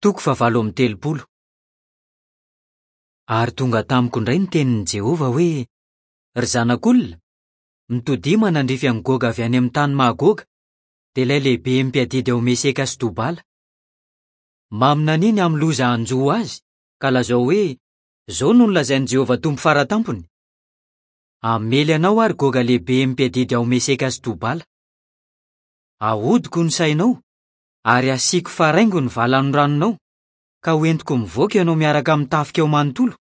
Toko fahavalo amby telopolo. Ary tonga tamiko indray ny tenin'i Jehovah hoe, Ry zanak'olona, mitodiha manandrify an'i Goga avy any amin'ny tany Magoga, dia ilay lehiben'ny mpiadidy ao Meseka sy Tobala. Maminania ny amin'ny loza hanjo azy, ka lazao hoe, 'Izao no nolazain'i Jehovah Tompo Fara Tampony, Hamely anao aho, ry Goga lehiben'ny mpiadidy ao Meseka sy Tobala. Hahodiko ny sainao, ary hasiako faraingo ny valanoranonao, ka hoentiko mivoaka ianao miaraka amin'ny tafikao manontolo,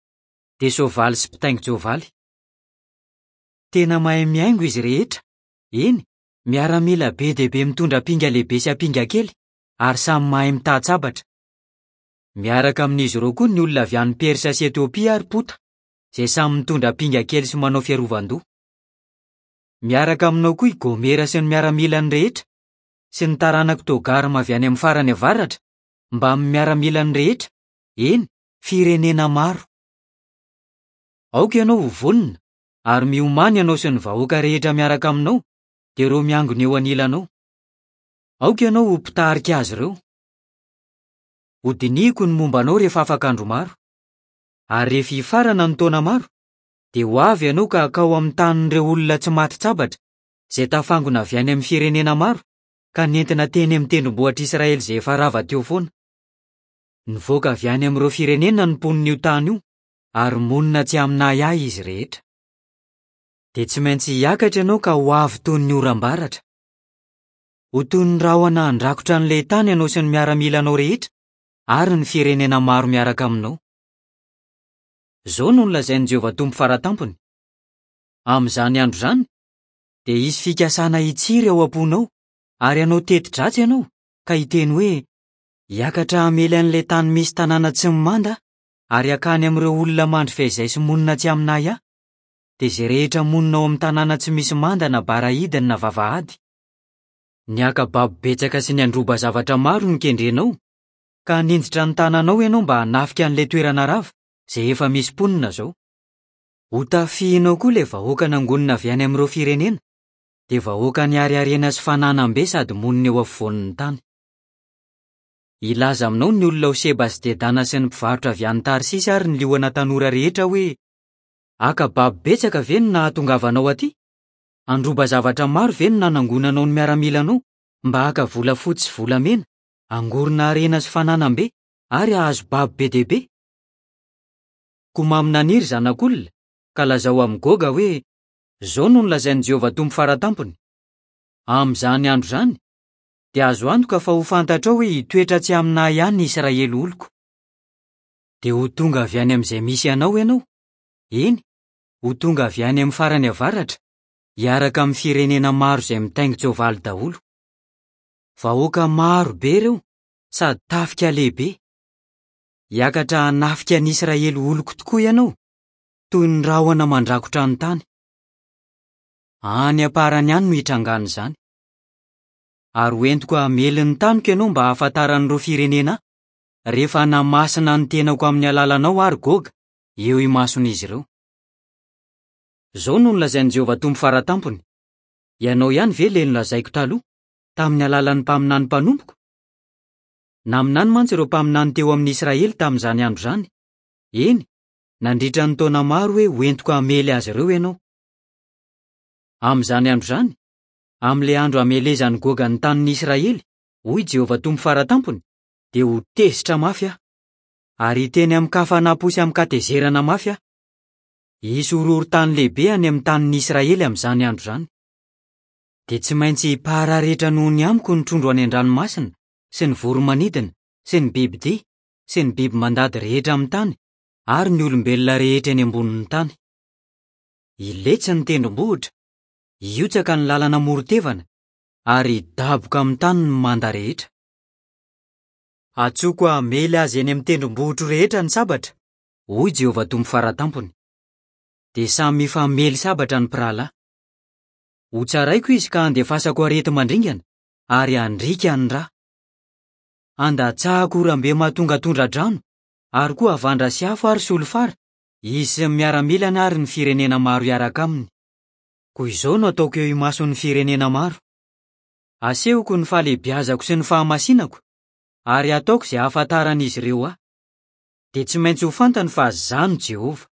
dia soavaly sy mpitaingin-tsoavaly. Tena mahay mihaingo izy rehetra, eny, miaramila be dia be mitondra ampinga lehibe sy ampinga kely, ary samy mahay mitan-tsabatra. Miaraka amin'izy ireo koa ny olona avy any Persa sy Etiopia ary Pota, izay samy mitondra ampinga kely sy manao fiarovan-doha. Miaraka aminao koa i Gomera sy ny miaramilany rehetra, sy ny taranak'i Togarma avy any amin'ny farany avaratra, mbamin'ny miaramilany rehetra, eny, firenena maro. Aoka ianao ho vonona, ary miomàna ianao sy ny vahoaka rehetra miaraka aminao, dia ireo miangona eo anilanao. Aoka ianao ho mpitarika azy ireo. Hodinihiko ny momba anao rehefa afaka andro maro. Ary rehefa hifarana ny taona maro, dia ho avy ianao ka hakao amin'ny tanin'ireo olona tsy matin-tsabatra, izay tafangona avy any amin'ny firenena maro, ka nentina teny amin'ny tendrombohitr'Israely izay efa rava teo foana. Nivoaka avy any amin'ireo firenena ny mponin'io tany io, ary monina tsy amin'ahiahy izy rehetra. Dia tsy maintsy hiakatra ianao ka ho avy toy ny oram-baratra. Ho toy ny rahona handrakotra an'ilay tany ianao sy ny miaramilanao rehetra ary ny firenena maro miaraka aminao. Izao no nolazain'i Jehovah Tompo Fara Tampony, Amin'izany andro izany, dia hisy fikasana hitsiry ao am-ponao, ary hanao teti-dratsy ianao, ka hiteny hoe, 'Hiakatra hamely an'ilay tany misy tanàna tsy mimanda aho, ary hankany amin'ireo olona mandry feizay sy monina tsy amin'ahiahy, dia izay rehetra monina ao amin'ny tanàna tsy misy manda na bara hidiny na vavahady. Ny haka babo betsaka sy ny handroba zavatra maro no kendrenao, ka haninjitra ny tananao ianao mba hanafika an'ilay toerana rava, izay efa misy mponina izao. Hotafihinao koa ilay vahoaka nangonina avy any amin'ireo firenena, dia vahoaka nihariharena sy fananam-be sady monina eo afovoan'ny tany. Hilaza aminao ny olona ao Sheba sy Dedana sy ny mpivarotra avy any Tarsisy ary ny liona tanora rehetra hoe, 'Haka babo betsaka ve no nahatongavanao atỳ? Handroba zavatra maro ve no nanangonanao ny miaramilanao mba haka volafotsy sy volamena, hangorona harena sy fananam-be, ary hahazo babo be dia be? Koa maminania, ry zanak'olona, ka lazao amin'i Goga hoe, 'Izao no nolazain'i Jehovah Tompo Fara Tampony, Amin'izany andro izany, dia azo antoka fa ho fantatrao hoe hitoetra tsy amin'ahy ihany ny Israely oloko. Dia ho tonga avy any amin'izay misy anao ianao, eny, ho tonga avy any amin'ny farany avaratra, hiaraka amin'ny firenena maro izay mitaingin-tsoavaly daholo. Vahoaka maro be ireo, sady tafika lehibe. Hiakatra hanafika an'i Israely oloko tokoa ianao, toy ny rahona mandrakotra ny tany. Any am-parany any no hitrangan'izany. Ary hoentiko hamely ny taniko ianao mba hahafantaran'ireo firenena ahy, rehefa hanamasina ny tenako amin'ny alalanao aho, ry Goga, eo imason'izy ireo. Izao no nolazain'i Jehovah Tompo Fara Tampony, Ianao ihany ve ilay nolazaiko taloha, tamin'ny alalan'ny mpaminany mpanompoko? Naminany mantsy ireo mpaminany teo amin'ny Israely tamin'izany andro izany, eny, nandritra ny taona maro hoe hoentiko hamely azy ireo ianao. Amin'izany andro izany, amin'ilay andro hamelezan'i Goga ny tanin'ny Israely, hoy Jehovah Tompo Fara Tampony, dia ho tezitra mafy aho. Ary hiteny amin-kafanam-po sy amin-katezerana mafy aho. Hisy horohorontany lehibe any amin'ny tanin'ny Israely amin'izany andro izany. Dia tsy maintsy hipararetra noho ny amiko ny trondro any an-dranomasina sy ny voro-manidina sy ny bibidia sy ny biby mandady rehetra amin'ny tany ary ny olombelona rehetra eny ambonin'ny tany. Hiletsy ny tendrombohitra, hihotsaka ny lalana amoron-tevana, ary hidaboka amin'ny tany ny manda rehetra. Antsoiko hamely azy eny amin'ny tendrombohitro rehetra ny sabatra, hoy Jehovah Tompo Fara Tampony. Dia samy hifamely sabatra ny mpirahalahy. Hotsaraiko izy ka handefasako areti-mandringana, ary handriaka ny ra. Handatsahako oram-be mahatonga tondra-drano, ary koa havandra sy afo ary solifara, izy sy ny miaramilany ary ny firenena maro hiaraka aminy. Koa izao no ataoko eo imason'ny firenena maro, Asehoko ny fahalehibiazako sy ny fahamasinako, Ary hataoko izay hahafantaran'izy ireo ahy. Dia tsy maintsy ho fantany fa izaho no Jehovah.